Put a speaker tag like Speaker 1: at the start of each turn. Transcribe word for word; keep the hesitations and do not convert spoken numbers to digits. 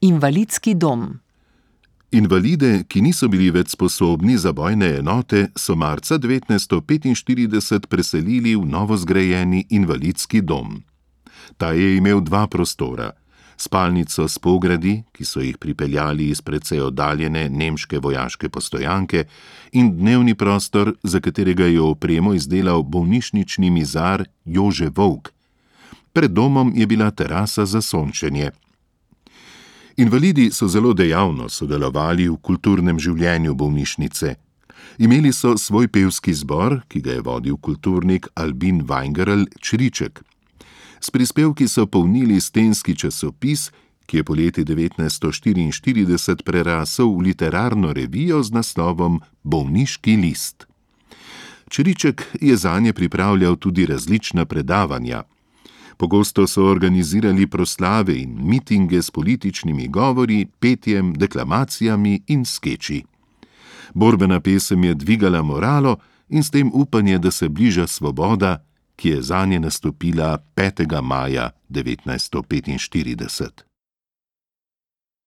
Speaker 1: Invalidski dom.
Speaker 2: Invalide, ki niso bili več sposobni za bojne enote, so marca devetnajststo petinštirideset preselili v novozgrajeni invalidski dom. Ta je imel dva prostora, spalnico s pogradi, ki so jih pripeljali iz precej oddaljene nemške vojaške postojanke, in dnevni prostor, za katerega je opremo izdelal bolnišnični mizar Jože Volk. Pred domom je bila terasa za sončenje. Invalidi so zelo dejavno sodelovali v kulturnem življenju bolnišnice. Imeli so svoj pevski zbor, ki ga je vodil kulturnik Albin Weingerl Čriček. S prispevki so polnili stenski časopis, ki je poleti devetnajststo štiriinštirideset prerasel v literarno revijo z naslovom Bolniški list. Čriček je zanje pripravljal tudi različna predavanja. Pogosto so organizirali proslave in mitinge s političnimi govori, petjem, deklamacijami in skeči. Borbena pesem je dvigala moralo in s tem upanje, da se bliža svoboda, ki je zanje nastopila petega maja devetnajststo petinštirideset.